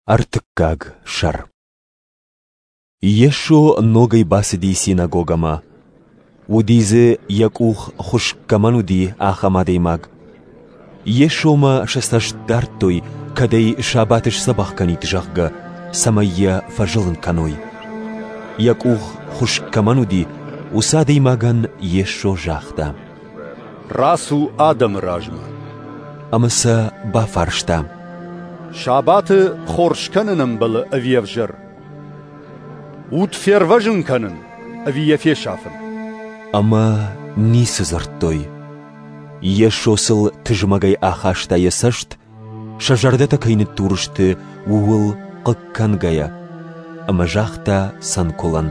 Ӕртыккаг сӕр. Йесо ногӕй бацыди синагогӕмӕ. Уыди дзы, йӕ къух хуыскъ кӕмӕн уыди, ахӕм адӕймаг. Йесомӕ сӕ цӕст дардтой, кӕд ӕй сабаты сдзӕбӕх кӕнид, зӕгъгӕ, цӕмӕй йӕ фӕзылын кӕной. Йӕ къух хуыскъ кӕмӕн уыди, уыцы адӕймагӕн Йесо загъта: «Рацу адӕмы размӕ». Ӕмӕ сӕ бафарста: «Сабаты хорз кӕнын ӕмбӕлы ӕви ӕвзӕр? Уд фервӕзын кӕнын ӕви йӕ фесафын?» Ӕмӕ ницы дзырдтой. Йесо сыл тызмӕгӕй ахаста йӕ цӕст, сӕ зӕрдӕтӕ кӕй ныддур сты, ууыл хъыг кӕнгӕйӕ, ӕмӕ загъта цӕнкуылӕн: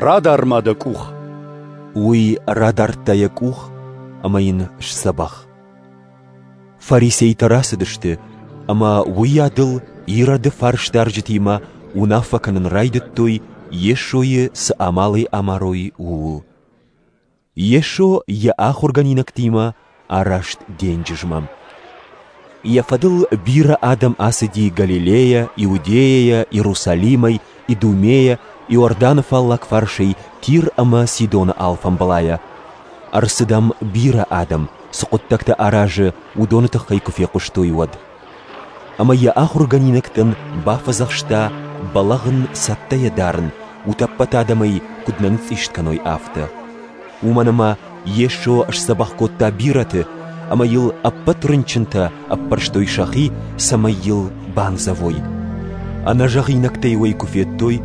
«Радар-ма дӕ къух». Уый радардта йӕ къух ӕмӕ йын сдзӕбӕх. Фарисейтӕ рацыдысты ӕмӕ уыйадыл Ироды фарсдарджытимӕ уынаффӕ кӕнын райдыдтой, Йесойы цы амалӕй амарой, ууыл. Йесо йӕ ахуыргӕнинӕгтимӕ араст денджызмӕ. Йӕ фӕдыл бирӕ адӕм ацыди Галилейӕ, Иудейӕйӕ, Иерусалимӕй, Идумейӕ, Иорданы фаллаг фарсӕй, Тир ӕмӕ Сидоны алфамбылайӕ. Ӕрцыд ӕм бирӕ адӕм, цы хъуыддӕгтӕ аразы, уыдоны тыххӕй куы фехъуыстой, уӕд. Ӕмӕ йӕ ахуыргӕнинӕгтӕн бафӕдзӕхста бӕлӕгъ ын цӕттӕйӕ дарын, утӕппӕт адӕмӕй куыд нӕ ныцъцъист кӕной, афтӕ. Уымӕн ӕмӕ Йесо сдзӕбӕх кодта бирӕты, ӕмӕ йыл ӕппӕт рынчынтӕ ӕппӕрстой сӕхи, цӕмӕй йыл бандзӕвой. Ӕнӕзӕгъинӕгтӕ-иу ӕй куы федтой,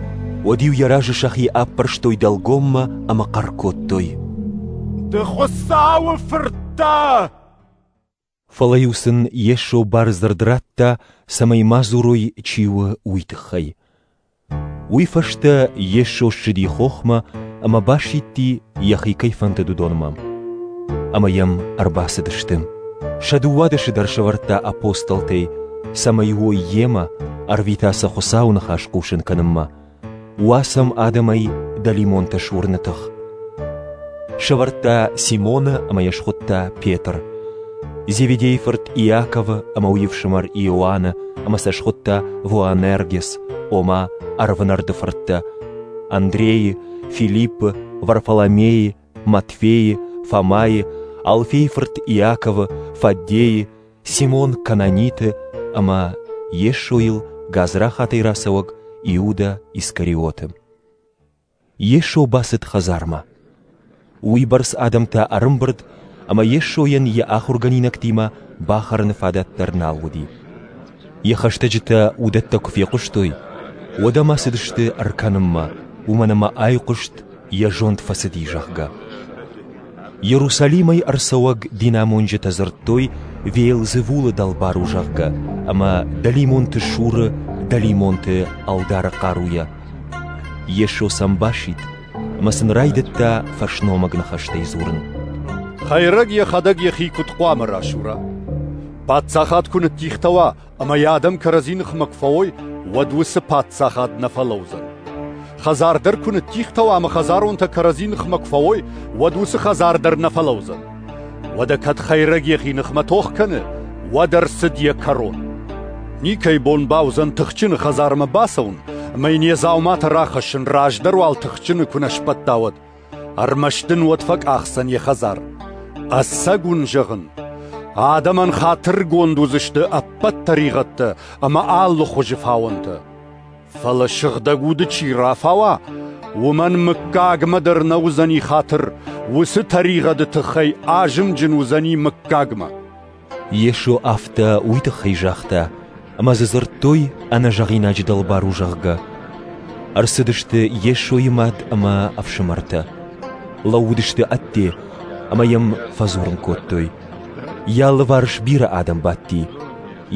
уӕд-иу йӕ разы сӕхи ӕппӕрстой дӕлгоммӕ ӕмӕ хъӕр кодтой: «Ды Хуыцауы Фырт дӕ!» Фӕлӕ-иу сын Йесо бардзырд радта, цӕмӕй ма дзурой, чи у, уый тыххӕй. Уый фӕстӕ Йесо ссыди хохмӕ ӕмӕ басидти, йӕхи кӕй фӕндыд, уыдонмӕ. Ӕмӕ йӕм ӕрбацыдысты. Сӕ дыууадӕсы дӕр сӕвӕрдта апостолтӕй, цӕмӕй уой йемӕ, ӕрвита сӕ Хуыцауы ныхас хъусын кӕнынмӕ, уа сӕм адӕмӕй дӕлимонтӕ сурыны тых. Сӕвӕрдта Симоны ӕмӕ йӕ схуыдта Петр, Зеведейы фырт Иаковы ӕмӕ уый ӕфсымӕр Иоанны ӕмӕ сӕ схуыдта Воанергес, ома ӕрвнӕрды фырттӕ, Андрейы, Филиппы, Варфоломейы, Матфейы, Фомайы, Алфейы фырт Иаковы, Фаддейы, Симон Кананиты ӕмӕ Йесойыл гадзрахатӕй рацӕуӕг Иуда Искариоты. Йесо бацыд хӕдзармӕ. Уыйбӕрц адӕмтӕ ӕрӕмбырд, ӕмӕ Йесойӕн йӕ ахуыргӕнинӕгтимӕ бахӕрыны фадат дӕр нал уыди. Йӕ хӕстӕджытӕ уыдӕттӕ куы фехъуыстой, уӕд ӕм ацыдысты ӕркӕнынмӕ, уымӕн ӕмӕ айхъуыст, йӕ зонд фӕцыди, зӕгъгӕ. Иерусалимӕй ӕрцӕуӕг динамонджытӕ дзырдтой, Веелзевулы дӕлбар у, зӕгъгӕ, ӕмӕ дӕлимонты суры дӕлимонты ӕлдары хъаруйӕ. Йесо сӕм басидт ӕмӕ сын райдыдта фӕсномыг ныхӕстӕй дзурын. Хӕйрӕг йӕхӕдӕг йӕхи куыд хъуамӕ расура? Паддзахад куы ныддихтӕ уа ӕмӕ йӕ адӕм кӕрӕдзи ныхмӕ куы фӕуой, уӕд уыцы паддзахад нӕ фӕлӕудзӕн. Хӕдзар дӕр куы ныддихтӕ уа ӕмӕ хӕдзаронтӕ кӕрӕдзи ныхмӕ куы фӕуой, уӕд уыцы хӕдзар дӕр нӕ фӕлӕудзӕн. Уӕдӕ кӕд хӕйрӕг йӕхи ныхмӕ тох кӕны, уӕд ӕрцыд йӕ кӕрон. Никӕй бон бауыдзӕн тыхджыны хӕдзармӕ бацӕуын ӕмӕ йын йӕ дзауматӕ рахӕссын, раздӕр уал тыхджыны куы нӕ сбӕтта, уӕд. Ӕрмӕст ын уӕд фӕкъахдзӕн йӕ хӕдзар. Ӕцӕг уын зӕгъын, адӕмӕн хатыргонд уыдзысты ӕппӕт тӕригъӕдтӕ ӕмӕ алы хуызы фауӕнтӕ. Фӕлӕ Сыгъдӕг Уды чи рафауа, уымӕн мыггагмӕ дӕр нӕ уыдзӕни хатыр, уыцы тӕригъӕды тыххӕй азымджын уыдзӕни мыггагмӕ. Йесо афтӕ уый тыххӕй загъта, ӕмӕ дзы дзырдтой, ӕнӕзӕгъинаджы дӕлбар у, зӕгъгӕ. Ӕрцыдысты Йесойы мад ӕмӕ ӕфсымӕртӕ. Лӕууыдысты ӕдде ӕмӕ йӕм фӕдзурын кодтой. Йӕ алыварс бирӕ адӕм бадти.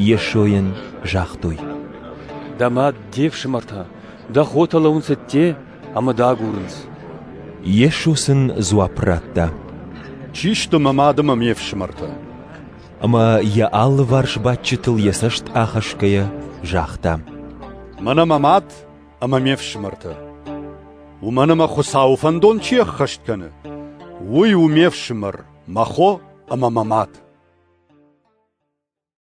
Йесойӕн загътой: «Дӕ мад, де фсымӕртӕ, дӕ хотӕ лӕууынц ӕдде ӕмӕ дӕ агурынц». Йесо сын дзуапп радта: «Чи сты мӕ мад ӕмӕ ме фсымӕртӕ?» Ӕмӕ йӕ алыварс бадджытыл йӕ цӕст ахӕсгӕйӕ загъта: «Мӕнӕ мӕ мад ӕмӕ ме фсымӕртӕ. Уымӕн ӕмӕ Хуыцауы фӕндон чи ӕххӕст кӕны, уый у ме фсымӕр, мӕ хо ӕмӕ мӕ мад».